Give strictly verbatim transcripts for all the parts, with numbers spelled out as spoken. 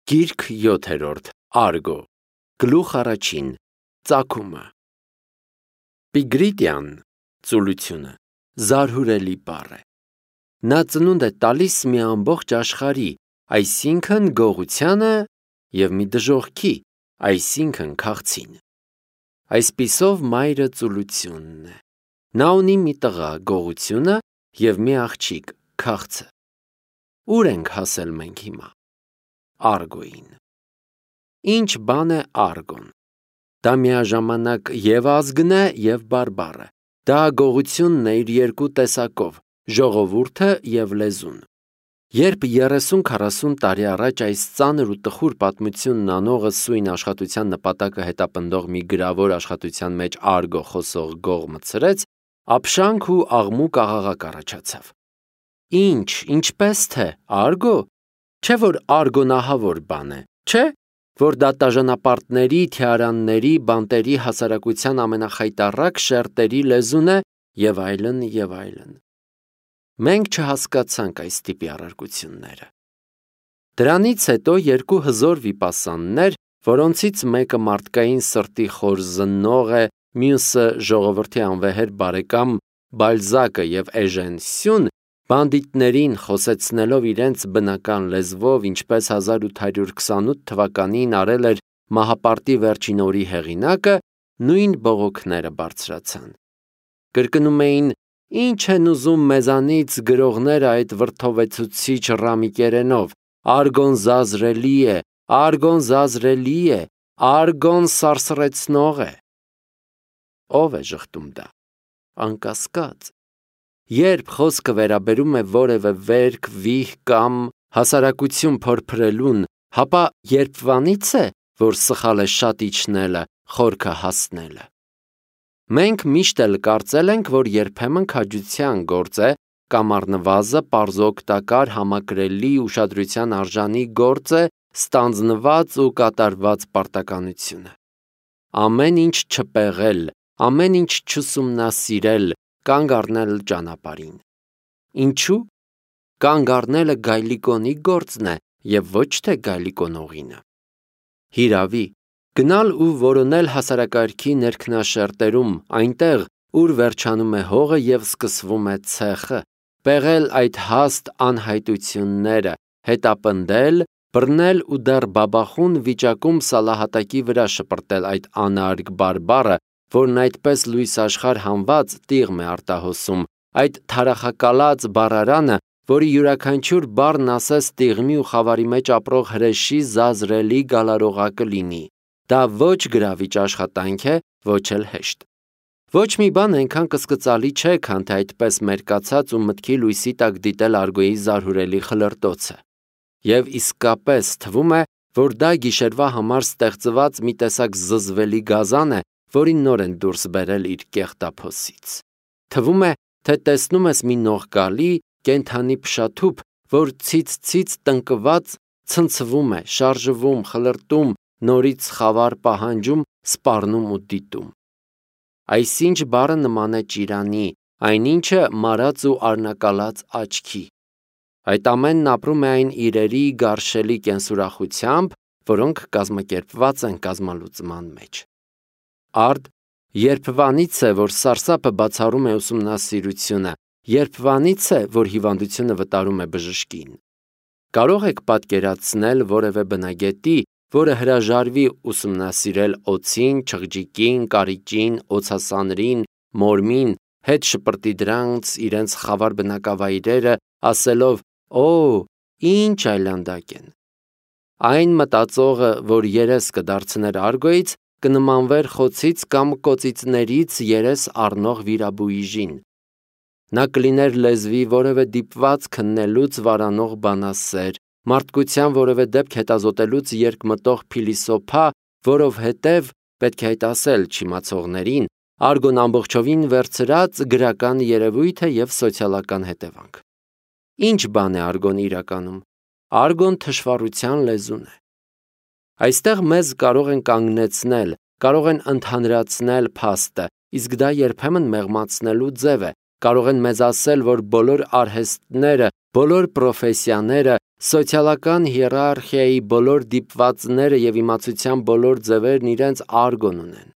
Գիրք յոթերորդ Արգո Գլուխ առաջին Ծագումը Պիգրիտյան ծուլությունը զարհուրելի բառ է։ Նա ծնունդ է տալիս մի ամբողջ աշխարհի, այսինքն գողությանը և մի դժոխքի, այսինքն քաղցին։ Այսպիսով մայրը ծուլությունն է։ Նա ունի մի տղա գողությունը և մի աղջիկ քաղցը։ Ուր ենք հասել մենք հիմա։ Արգոյին։ Ինչ բան է արգոն։ Դա միաժամանակ և ազգն է, և բարբառը։ Դա գողությունն է իր երկու տեսակով՝ ժողովուրդը և լեզուն։ Երբ երեսուն-քառասուն տարի առաջ այս ծանր ու տխուր պատմությունն անողը սույն աշխատության նպատակը հետապնդող մի գրավոր աշխատության մեջ արգո խոսող գող մտցրեց, ապշանք ու աղմուկ աղաղակ առաջացավ։ Ինչ, ինչպես թե, արգո։ Չէ՞ որ արգոն ահավոր բան է, չէ՞, որ դատաժանապարտների, թիարանների, բանտերի հասարակության ամենախայտառակ շերտերի լեզուն է, և այլն, և այլն։ Մենք չհասկացանք այս տիպի առարկությունները։ Դրանից հետո երկու հզոր վիպասաններ, որոնցից մեկը մարդկային սրտի խոր զննող է, մյուսը ժողովրդի անվեհեր բարեկամ Բալզակը և Էժեն Սյուն, բանդիտներին խոսեցնելով իրենց բնական լեզվով, ինչպես հազար ութ հարյուր քսանութ թվականին արել էր Մահապարտի վերջին օրի հեղինակը, նույն բողոքները բարձրացան։ Կրկնում էին. «Ինչ են ուզում մեզանից գրողները այդ վրդովեցուցիչ ռամիկերենով, արգոն զազրելի է, արգոն զազրելի է, արգոն սարսռեցնող է»։ Ո՞վ է ժխտում դա։ Անկասկած։ Երբ խոսքը վերաբերում է որևէ վերք, վիհ կամ հասարակություն փորփրելուն, հապա երբվանից է, որ սխալ է շատ իջնելը, խորքը հասնելը։ Մենք միշտ էլ կարծել ենք, որ երբեմն քաջության գործ է, կամ առնվազն պարզօգտակար, համակրելի, ուշադրության արժանի գործ է ստանձնված ու կատարված պարտականությունը։ Ամեն ինչ չպեղել, ամեն ինչ չուսումնասիրել, կանգ առնել ճանապարհին։ Ինչու՞։ Կանգ առնելը գայլիկոնի գործն է և ոչ թե գայլիկոնողինը։ Հիրավի, գնալ ու որոնել հասարակարգի ներքնաշերտերում, այնտեղ, ուր վերջանում է հողը և սկսվում է ցեխը, պեղել այդ հաստ անհայտությունները, հետապնդել, բռնել ու դեռ բաբախուն վիճակում սալահատակի վրա շպրտել այդ անարգ բարբառը, որն այդպես լույս աշխարհ հանված տիղմ է արտահոսում, այդ թարախակալած բառարանը, որի յուրաքանչյուր բառն ասես տիղմի ու խավարի մեջ ապրող հրեշի զազրելի գալարողակը լինի։ Դա ոչ գրավիչ աշխատանք է, ոչ էլ հեշտ։ Ոչ մի բան այնքան կսկծալի չէ, քան թե այդպես մերկացած ու մտքի լույսի տակ դիտել արգոյի զարհուրելի խլրտոցը։ Եվ իսկապես թվում է, որ դա գիշերվա համար ստեղծված մի տեսակ զզվելի գազան է, որին նոր են դուրս բերել իր կեղտափոսից։ Թվում է, թե տեսնում ես մի նողկալի, կենդանի փշաթուփ, որ ցից-ցից տնկված ցնցվում է, շարժվում, խլրտում, նորից խավար պահանջում, սպառնում ու դիտում։ Այսինչ բառը նման է ճիրանի, այնինչը մարած ու արնակալած աչքի։ Այդ ամենն ապրում է այն իրերի գարշելի կենսուրախությամբ, որոնք կազմակերպված են կազմալուծման մեջ։ Արդ, երբվանից է, որ սարսափը բացառում է ուսումնասիրությունը, երբվանից է, որ հիվանդությունը վտարում է բժշկին։ Կարող եք պատկերացնել որևէ բնագետի, որը հրաժարվի ուսումնասիրել օձին, չղջիկին, կարիճին, օձասանրին, մորմին, հետ շպրտի դրանց իրենց խավար բնակավայրերը, ասելով. «Օ, ինչ այլանդակ են»։ Այն մտածողը, որ երես կդարձներ արգոյից, կնմանվեր խոցից կամ կոծիծներից երես առնող վիրաբույժին։ Նա կլիներ լեզվի որևէ դիպված քննելուց վարանող բանասեր, մարդկության որևէ դեպք հետազոտելուց երկմտող փիլիսոփա, որովհետև, պետք է այդ ասել չիմացողներին, արգոն ամբողջովին վերցրած գրական երևույթ է և սոցիալական հետևանք։ Ինչ բան է արգոն իրականում։ Արգոն թշվառության լեզուն է։ Այստեղ մեզ կարող են կանգնեցնել, կարող են ընդհանրացնել փաստը, իսկ դա երբեմն մեղմացնելու ձև է, կարող են մեզ ասել, որ բոլոր արհեստները, բոլոր պրոֆեսիաները, Սոցիալական հիերարխիայի բոլոր դիպվածները եւ իմացության բոլոր ձևերն իրենց արգոն ունեն։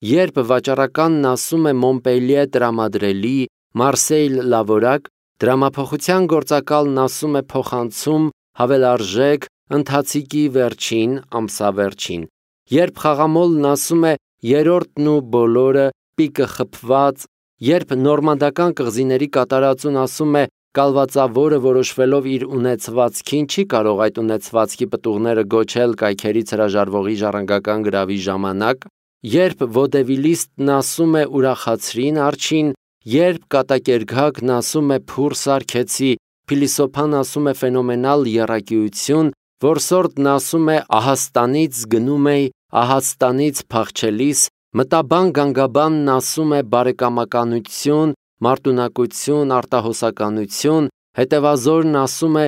Երբ վաճառականն ասում է Մոնպելիե տրամադրելի, Մարսեյլ լավորակ, դրամափոխության գործակալն ասում է փոխանցում, հավելարժեք, ընթացիկի վերջին, ամսավերջին։ Երբ խաղամոլն ասում է երրորդն ու բոլորը, պիկը խփված, երբ նորմանդական կղզիների կատարածուն ասում է կալվածավորը որոշվելով իր ունեցվածքին չի կարող այդ ունեցվածքի պտուղները գոչել կայքերից հրաժարվողի ժառանգական գրավի ժամանակ, երբ ոդևիլիստն ասում է ուրախացրին արջին, երբ կատակերգակն ասում է փուռ սարքեցի, փիլիսոփան ասում է ֆենոմենալ եռակիություն, որսորդն ասում է ահաստանից գնում էի, ահաստանից փախչելիս, մտաբան գանգաբանն ասում է բարեկամականություն, մարտունակություն, արտահոսականություն, հետևազորն ասում է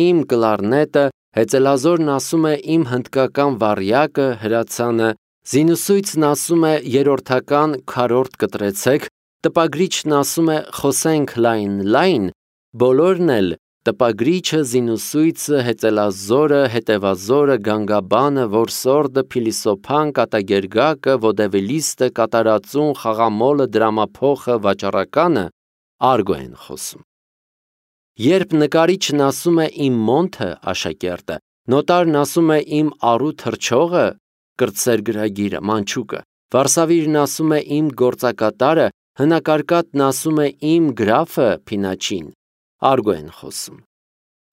իմ կլարնետը, հեծելազորն ասում է իմ հնդկական վառյակը, հրացանը, զինուսույցն ասում է երրորդական քառորդ կտրեցեք, տպագրիչն ասում է խոսենք լայն լայն, բոլորն էլ տպագրիչը, զինուսույցը, հեծելազորը, հետևազորը, գանգաբանը, որսորդը, փիլիսոփան, կատակերգակը, ոդևիլիստը, կատարածուն, խաղամոլը, դրամափոխը, վաճառականը արգո են խոսում։ Երբ նկարիչն ասում է իմ մոնթը, աշակերտը, նոտարն ասում է իմ առու թռչողը, կրտսերգրագիրը, մանչուկը, վարսավիրն ասում է իմ գործակատարը, հնակարկատն ասում է իմ գրաֆը, փինաչին, արգո են խոսում։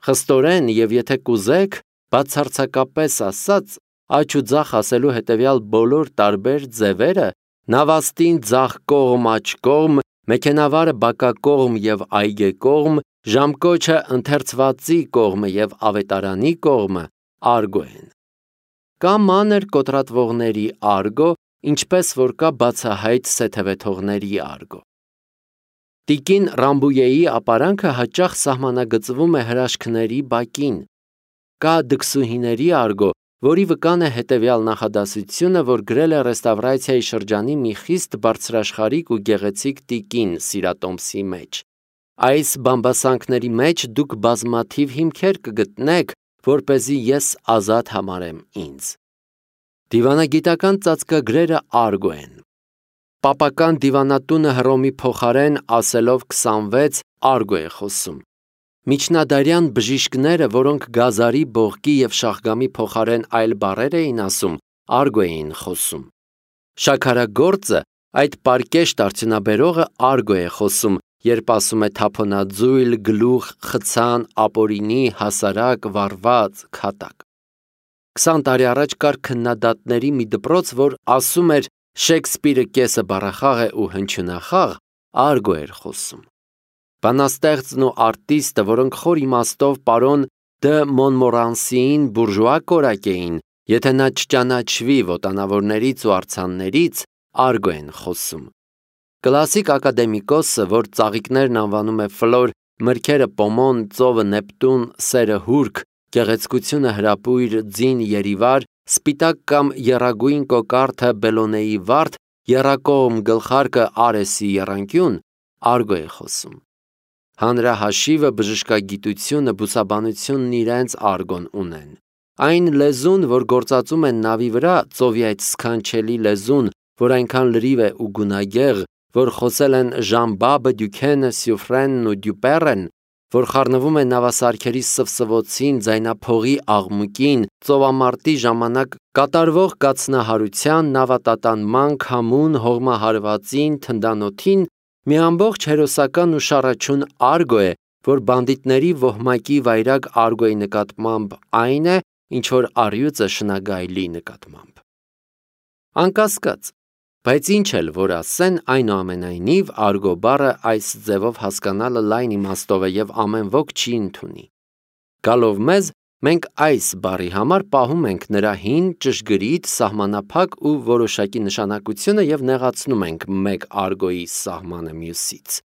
Խստորեն եւ եթե կուզեք, բացարձակապես ասած, աջ ու ձախ ասելու հետևյալ բոլոր տարբեր ձևերը, նավաստին ձախ կողմ աջ կողմ, մեքենավարը բակակողմ եւ այգեկողմ, ժամկոչը ընթերցվածի կողմը եւ ավետարանի կողմը արգո են։ Կա մանր կոտրատվողների արգո, ինչպես որ կա բացահայտ սեթևեթողների արգո։ Տիկին Ռամբույեի ապարանքը հաճախ սահմանագծվում է հրաշքների բակին։ Կա դքսուհիների արգո, որի վկան է հետևյալ նախադասությունը, որ գրել է ռեստավրացիայի շրջանի մի խիստ բարձրաշխարհիկ ու գեղեցիկ տիկին Սիրատոմսի մեջ։ Այս բամբասանքների մեջ դուք բազմաթիվ հիմքեր կգտնեք, որպեսզի ես ազատ համարեմ ինձ։ Դիվանագիտական ծածկագրերը արգո են։ Պապական դիվանատունը Հռոմի փոխարեն ասելով քսանվեց արգո է խոսում։ Միջնադարյան բժիշկները, որոնք գազարի, բողկի եւ շախգամի փոխարեն այլ բառեր էին ասում, արգո էին խոսում։ Շաքարագործը, այդ պարկեշտ արդյունաբերողը արգո է խոսում, երբ ասում է թափոնաձույլ, գլուխ, խցան, ապորինի, հասարակ, վառված, քատակ։ Քսան տարի առաջ կար քննադատների մի դպրոց, որ ասում էր Շեքսպիրը կեսը բառախաղ է ու հնչյունախաղ, արգո էր խոսում։ Բանաստեղծն ու արտիստը, որոնք խոր իմաստով պարոն Դը Մոնմորանսիին բուրժուա կորակ էին, եթե նա չճանաչվի ոտանավորներից ու արձաններից, արգո են խոսում։ Կլասիկ ակադեմիկոսը, որ ծաղիկներն անվանում է ֆլոր, մրգերը պոմոն, ծովը նեպտուն, սերը հուրք, գեղեցկությունը հրապույր, ձին երիվար, սպիտակ կամ եռագույն կոկարդը Բելոնեի վարդ, եռակողմ գլխարկը Արեսի եռանկյուն, արգո է խոսում։ Հանրահաշիվը, բժշկագիտությունը, բուսաբանությունն իրենց արգոն ունեն։ Այն լեզուն, որ գործածում են նավի վրա, ծովի այդ սքանչելի լեզուն, որ այնքան լրիվ է ու գունագեղ, որ խոսել են Ժան-Բաբը, Դյուքենը, Սյուֆրենն ու Դյուպերեն, որ խառնվում է նավասարքերի սվսվոցին, ձայնափողի աղմուկին, ծովամարտի ժամանակ կատարվող կացնահարության, նավատատանման, քամուն, հողմահարվածին, թնդանոթին, մի ամբողջ հերոսական ու շառաչուն արգո է, որ բանդիտների ոհմակի վայրագ արգոյի նկատմամբ այն է, ինչ որ առյուծը շնագայլի նկատմամբ։ Անկասկած, բայց ինչ էլ որ ասեն, այնուամենայնիվ արգո բառը այս ձևով հասկանալը լայն իմաստով է եւ ամեն ոք չի ընդունի։ Գալով մեզ, մենք այս բառի համար պահում ենք նրա հին, ճշգրիտ, սահմանափակ ու որոշակի նշանակությունը եւ նեղացնում ենք մեկ արգոյի սահմանը մյուսից։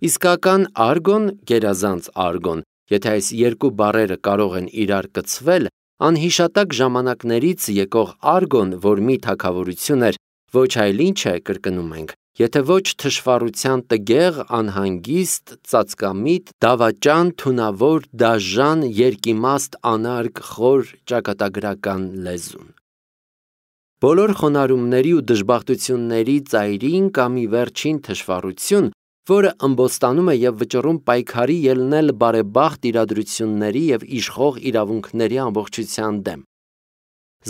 Իսկական արգոն, գերազանց արգոն, եթե այս երկու բառերը կարող են իրար կցվել, անհիշատակ ժամանակներից եկող արգոն, որ մի թագավորություն էր, ոչ այլ ինչ է, կրկնում ենք, եթե ոչ թշվառության տգեղ, անհանգիստ, ծածկամիտ, դավաճան, թունավոր, դաժան, երկիմաստ, անարգ, խոր, ճակատագրական լեզուն։ Բոլոր խոնարհումների ու դժբախտությունների ծայրին կա մի վերջին թշվառություն, որը ըմբոստանում է և վճռում պայքարի ելնել բարեբախտ իրադրությունների և իշխող իրավունքների ամբողջության դեմ։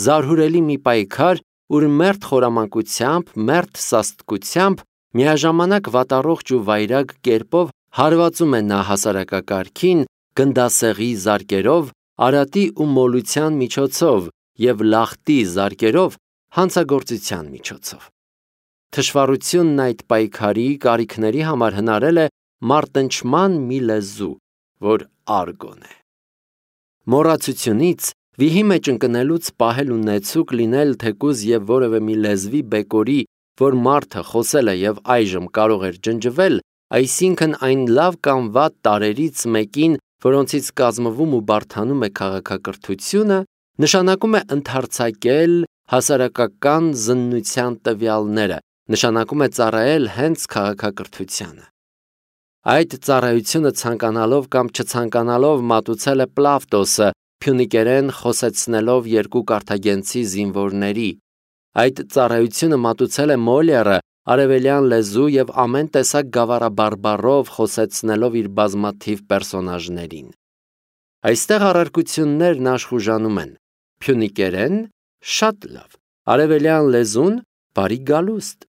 Զարհուրելի մի պայքար, ուր մերթ խորամանկությամբ, մերթ սաստկությամբ, միաժամանակ վատառողջ ու վայրագ կերպով հարվածում է նա հասարակակարգին, գնդասեղի զարկերով, արատի ու մոլության միջոցով և լախտի զարկերով հանցագործության միջոցով։ Թշվառությունն այդ պայքարի կարիքների համար հնարել է մարտնչման մի լեզու, որ արգոն է։ Մոռացությունից, վիհի մեջ ընկնելուց պահել ունեցուկ լինել թեկուզ և որևէ մի լեզվի բեկորի, որ մարդը խոսել է և այժմ կարող էր ջնջվել, այսինքն այն լավ կամ վատ տարրերից մեկին, որոնցից կազմվում ու բարդանում է քաղաքակրթությունը, նշանակում է ընդարձակել հասարակական զննության տվյալները, նշանակում է ծառայել հենց քաղաքակրթությանը։ Այդ ծառայությունը ցանկանալով կամ չցանկանալով մատուցել է Պլավտոսը, փյունիկերեն խոսեցնելով երկու կարթագենցի զինվորների։ Այդ ծառայությունը մատուցել է Մոլերը, արևելյան լեզու և ամեն տեսակ գավառաբարբառով խոսեցնելով իր բազմաթիվ պերսոնաժներին։ Այստեղ առարկություններն աշխուժանում են. փյունիկերեն շատ լավ, արևելյան լեզուն բարի գալուստ։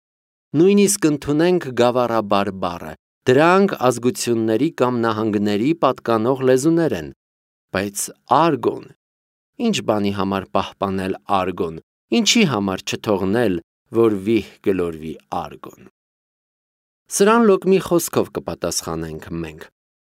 Նույնիսկ ընդունենք գավառաբարբառը, դրանք ազգությունների կամ նահանգների պատկանող լեզուներ են, բայց արգոն, ինչ բանի համար պահպանել արգոն, ինչի համար չթողնել, որ վիհ գլորվի արգոն։ Սրան լոկ մի խոսքով կպատասխանենք մենք։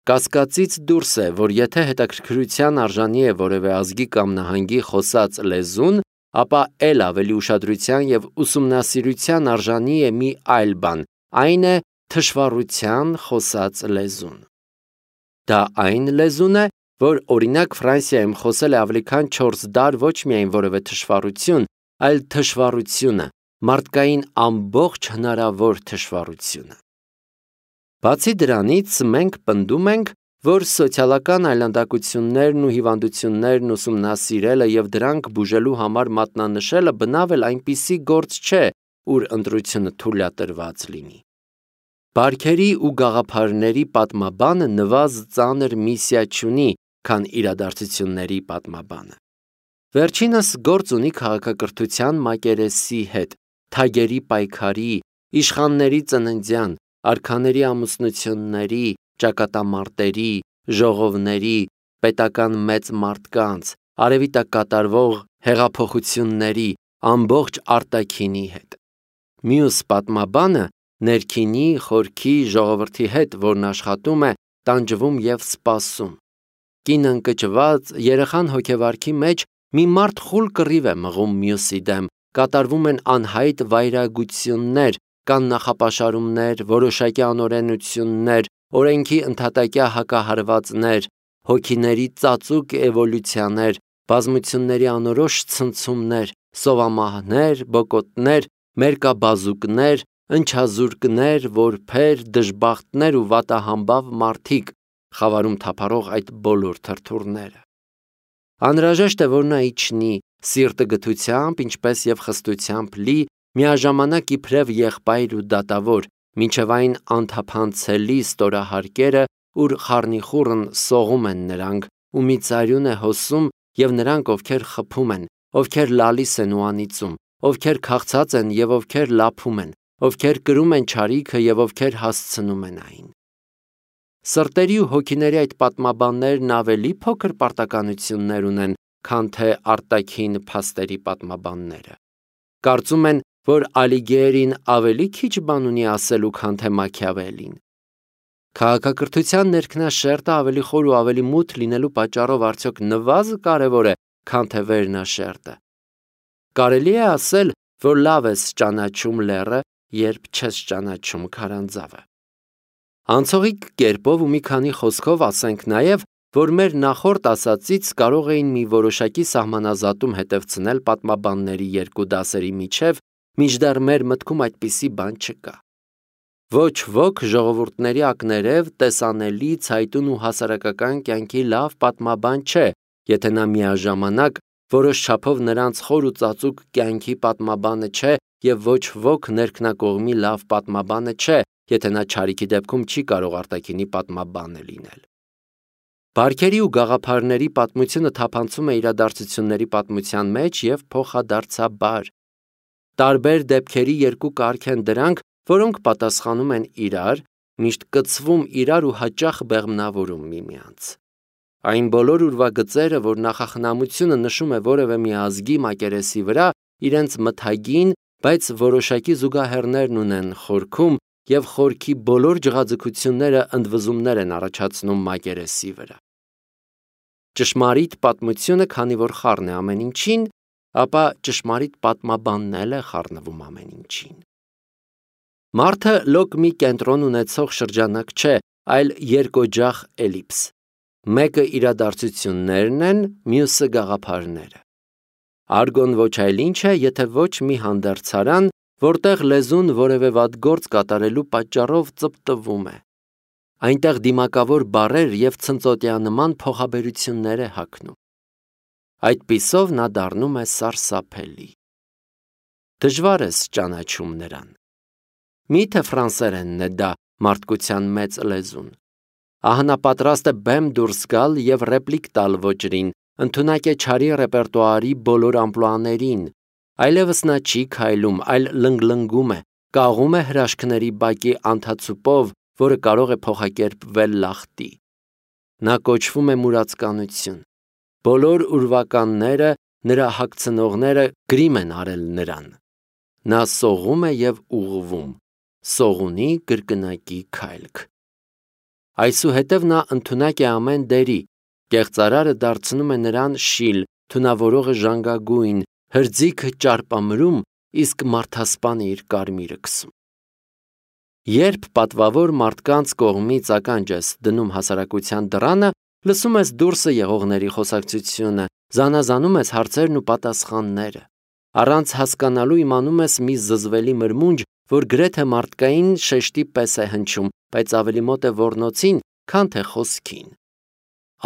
Կասկածից դուրս է, որ եթե հետաքրքրության արժանի է որևէ ազգի կամ նահանգի խոսած լեզուն, ապա էլ ավելի ուշադրության և ուսումնասիրության արժանի է մի այլ բան, այն է թշվառության խոսած լեզուն։ Դա այն լեզուն է, որ օրինակ Ֆրանսիայում խոսել է ավելի քան չորս դար ոչ միայն որևէ թշվառություն, այլ թշվառությունը, մարդկային ամբողջ հնարավոր թշվառությունը։ Բացի դրանից, մենք պնդում ենք, որ սոցիալական այլանդակություններն ու հիվանդություններն ուսումնասիրելը և դրանք բուժելու համար մատնանշելը բնավ էլ այնպիսի գործ չէ, ուր ընտրությունը թույլատրված լինի։ Բարքերի ու գաղափարների պատմաբանը նվազ ծանր միսիա չունի, քան իրադարձությունների պատմաբանը։ Վերջինս գործ ունի քաղաքակրթության մակերեսի հետ, թագերի պայքարի, իշխանների ծննդյան, արքաների ամուսնությունների, ճակատամարտերի, ժողովների, պետական մեծ մարդկանց, արևի տակ կատարվող հեղափոխությունների, ամբողջ արտաքինի հետ։ Մյուս պատմաբանը ներքինի, խորքի, ժողովրդի հետ, որն աշխատում է, տանջվում և սպասում։ Կինը ընկճված, երեխան հոգեվարքի մեջ, մի մարդ խուլ կռիվ է մղում մյուսի դեմ, կատարվում են անհայտ վայրագություններ, կան նախապաշարումներ, որոշակի անօրենություններ, օրենքի ընդհատակյա հակահարվածներ, հոգիների ծածուկ էվոլյուցիաներ, բազմությունների անորոշ ցնցումներ, սովամահներ, բոկոտներ, մերկաբազուկներ, ընչազուրկներ, որբեր, դժբախտներ ու վատահամբավ մարդիկ, խավարում թափառող այդ բոլոր թրթուրները։ Անհրաժեշտ է, որ նա իջնի, սիրտը գթությամբ, ինչպես և խստությամբ լի, միաժամանակ իբրև եղբայր ու դատավոր, մինչև այն անթափանցելի ստորահարկերը, ուր խառնիխուռն սողում են նրանք, ու մի ծարյուն է հոսում, և նրանք, ովքեր խփում են, ովքեր լալիս են ու անիծում, ովքեր քաղցած են և ովքեր լափում են, ովքեր կրում են չարիքը և ովքեր հասցնում են այն։ Սրտերի ու հոգիների այդ պատմաբաններն ավելի փոքր պարտականություններ ունեն, քան թե արտաքին փաստերի պատմաբանները։ Կարծում են, որ Ալիգիերին ավելի քիչ բան ունի ասելու, քան թե Մաքիավելին։ Քաղաքակրթության ներքնաշերտը ավելի խոր ու ավելի մութ լինելու պատճառով արդյոք նվազը կարևոր է, քան թե վերնաշերտը։ Կարելի է ասել, որ լավ ես ճանաչում լեռը, երբ չես ճանաչում քարանձավը։ Անցողիկ կերպով ու մի քանի խոսքով ասենք նաև, որ մեր նախորդ ասածից կարող էին մի որոշակի սահմանազատում հետևցնել պատմաբանների երկու դասերի միջև, մինչդեռ մեր մտքում այդպիսի բան չկա։ Ոչ ոք ժողովուրդների ակներև տեսանելի ցայտուն ու հասարակական կյանքի լավ պատմաբան չէ, եթե նա միաժամանակ որոշ չափով նրանց խոր ու ծածուկ կյանքի պատմաբանը չէ եւ ոչ ոք ներքնակողմի լավ պատմաբանը չէ, եթե նա չարիքի դեպքում չի կարող արտաքինի պատմաբանը լինել։ Բարքերի ու գաղափարների պատմությունը թափանցում է իրադարձությունների պատմության մեջ եւ փոխադարձաբար։ Տարբեր դեպքերի երկու կարգ են դրանք, որոնք պատասխանում են իրար, միշտ կցվում իրար ու հաճախ բեղմնավորում միմյանց։ Այն բոլոր ուրվագծերը, որ նախախնամությունը նշում է որևէ մի ազգի մակերեսի վրա, իրենց մթագին, բայց որոշակի զուգահեռներն ունեն խորքում եւ խորքի բոլոր ջղաձգությունները ընդվզումներ են առաջացնում մակերեսի վրա։ Ճշմարիտ պատմությունը, քանի որ խառն է ամեն ինչին, ապա ճշմարիտ պատմաբանն էլ է խառնվում ամեն ինչին։ Մարդը լոկ մի կենտրոն ունեցող շրջանակ չէ, այլ երկօջախ էլիպս։ Մեկը իրադարձություններն են, մյուսը գաղափարները։ Արգոն ոչ այլ ինչ է, եթե ոչ մի հանդերձարան, որտեղ լեզուն որևէ վատ գործ կատարելու պատճառով ծպտվում է։ Այնտեղ դիմակավոր բառեր եւ ցնծոտյանման փոխաբերություններ է հագնում։ Այդպիսով նա դառնում է սարսափելի։ Դժվար է ճանաչում նրան։ Միթե ֆրանսերենն է դա մարդկության մեծ լեզուն։ Ահա նա պատրաստ է բեմ դուրս գալ եւ ռեպլիկ տալ ոճրին, ընդունակ է չարի ռեպերտուարի բոլոր ամպլուաներին, այլևս նա չի քայլում, այլ լնգլնգում է, կաղում է հրաշքների բակի անթացուպով, որը կարող է փոխակերպվել լախտի։ Նա կոչվում է մուրացկանություն։ Բոլոր ուրվականները, նրա հագցնողները գրիմ են արել նրան։ Նա սողում է եւ ուղղվում, սողունի կրկնակի քայլք։ Այսուհետև նա ընդունակ է ամեն դերի, կեղծարարը դարձնում է նրան շիլ, թունավորողը ժանգագույն, հրձիքը ճարպամրում, իսկ մարդասպանը իր կարմիրը քսում։ Երբ պատվավոր մարդկանց կողմից ականջ ես դնում հասարակության դռանը, լսում ես դուրսը եղողների խոսակցությունը, զանազանում ես հարցերն ու պատասխանները։ Առանց հասկանալու իմանում ես մի զզվելի մրմունջ, որ գրեթե մարդկային շեշտի պես է հնչում, բայց ավելի մոտ է ոռնոցին, քան թե խոսքին։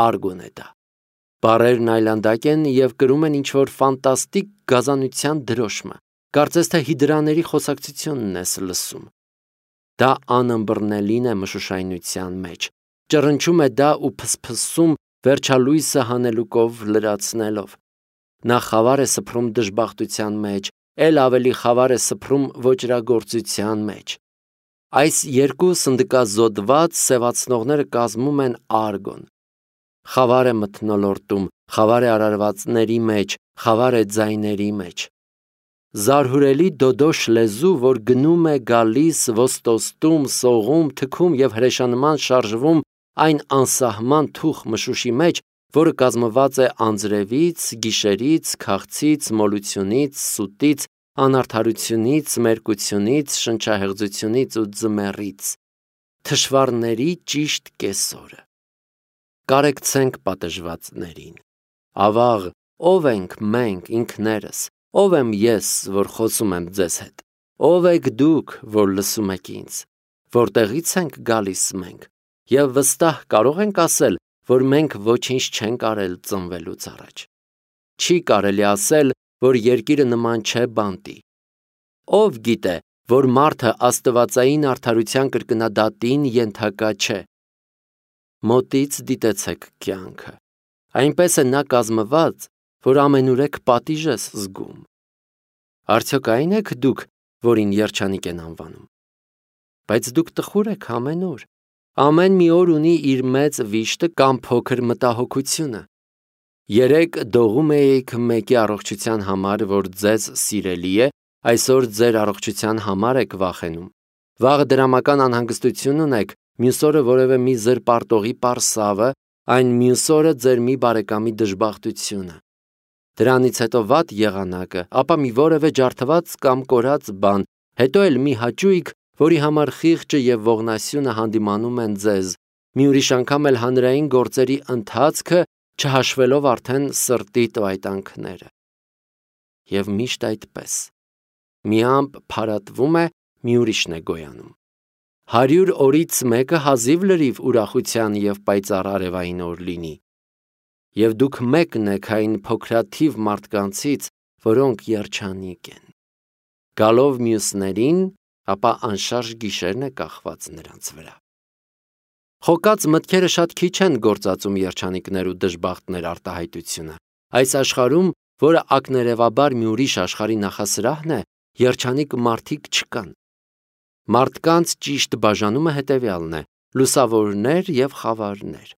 Արգոն է դա։ Բառերն այլանդակ են եւ կրում են ինչ-որ ֆանտաստիկ գազանության դրոշմը։ Կարծես թե հիդրաների խոսակցությունն ես լսում։ Դա անըմբռնելին է մշուշայնության մեջ։ Ճռնչում է դա ու փսփսում վերջալույսը հանելուկով լրացնելով։ Նա խավար է սփռում դժբախտության մեջ, ել ավելի խավար է սփռում ոճրագործության մեջ։ Այս երկու սնդկազոդված սևացնողները կազմում են արգոն։ Խավար է մթնոլորտում, խավար է արարվածների մեջ, խավար է ձայների մեջ։ Զարհուրելի դոդոշ լեզու, որ գնում է գալիս, ոստոստում, սողում, թքում եւ հրեշանման շարժվում այն անսահման թուխ մշուշի մեջ, որը կազմված է անձրևից, գիշերից, քաղցից, մոլությունից, սուտից, անարդարությունից, մերկությունից, շնչահեղձությունից ու ձմեռից։ Թշվառների ճիշտ կեսորը։ Կարեկցենք պատժվածներին։ Ավաղ, ով ենք մենք ինքներս, ով եմ ես, որ խոսում եմ ձեզ հետ, ով եք դուք, որ լսում եք ինձ, որտեղից ենք գալիս մենք, եւ վստահ կարող ենք ասել, որ մենք ոչինչ չենք արել ծնվելուց առաջ։ Չի կարելի ասել, որ երկիրը նման չէ բանտի։ Ով գիտե, որ մարդը աստվածային արդարության կրկնադատին ենթակա չէ։ Մոտից դիտեցեք կյանքը։ Այնպես է նա կազմված, որ ամենուրեք պատիժ ես զգում։ Արդյոք այն եք դուք, որին երջանիկ են անվանում։ Բայց դուք տխուր եք ամեն օր։ Ամեն մի օր ունի իր մեծ վիշտը կամ փոքր մտահոգությունը։ Երեկ դողում էիք մեկի առողջության համար, որ ձեզ սիրելի է, այսօր ձեր առողջության համար եք վախենում։ Վաղը դրամական անհանգստություն ունեք, մյուս օրը որևէ մի զրպարտողի պարսավը, այն մյուս օրը ձեր մի բարեկամի դժբախտությունը։ Դրանից հետո վատ եղանակը, ապա մի որևէ ջարդված կամ կորած բան, հետո էլ մի հաճույք, որի համար խիղճը եւ ողնասյունը հանդիմանում են ձեզ, մի ուրիշ անգամ էլ հանրային գործերի ընթացքը, չհաշվելով արդեն սրտի տվայտանքները։ Եվ միշտ այդպես։ Մի ամպ փարատվում է, մի ուրիշն է գոյանում։ Հարյուր օրից մեկը հազիվ լրիվ ուրախության և պայծառ արևային օր լինի, և դուք մեկն եք այն փոքրաթիվ մարդկանցից, որոնք երջանիկ են։ Գալով մյուսներին, ապա անշարժ գիշերն է կախված նրանց վրա։ Խոկած մտքերը շատ քիչ են գործածում երջանիկներ ու դժբախտներ արտահայտությունը։ Այս աշխարհում, որը ակներևաբար մի ուրիշ աշխարհի նախասրահն է, երջանիկ մարդիկ չկան։ Մարդկանց ճիշտ բաժանումը հետևյալն է. լուսավորներ և խավարներ։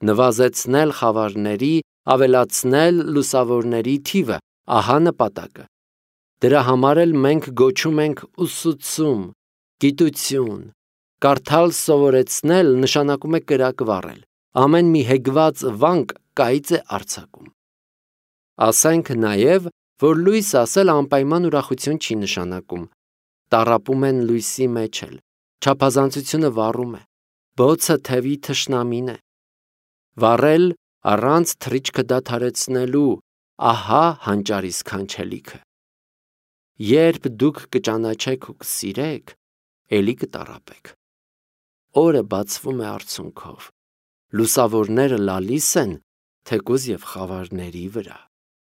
Նվազեցնել խավարների, ավելացնել լուսավորների թիվը, ահա նպատակը։ Դրա համար էլ մենք գոչում ենք ուսուցում, գիտություն։ Կարդալ սովորեցնել նշանակում է կրակ վառել։ Ամեն մի հեգված վանք կայծ է արձակում։ Ասենք նաև, որ լույս ասել անպայման ուրախություն չի նշանակում։ Տառապում են լույսի մեջ էլ, չափազանցությունը վառում է, բոցը թևի թշնամին է։ Վառել առանց թռիչքը դադարեցնելու, ահա հանճարի սքանչելիքը։ Երբ դուք կճանաչեք ու կսիրեք, էլի կտառապեք։ Օրը բացվում է արցունքով, լուսավորները լալիս են, թեկուզ և խավարների վրա։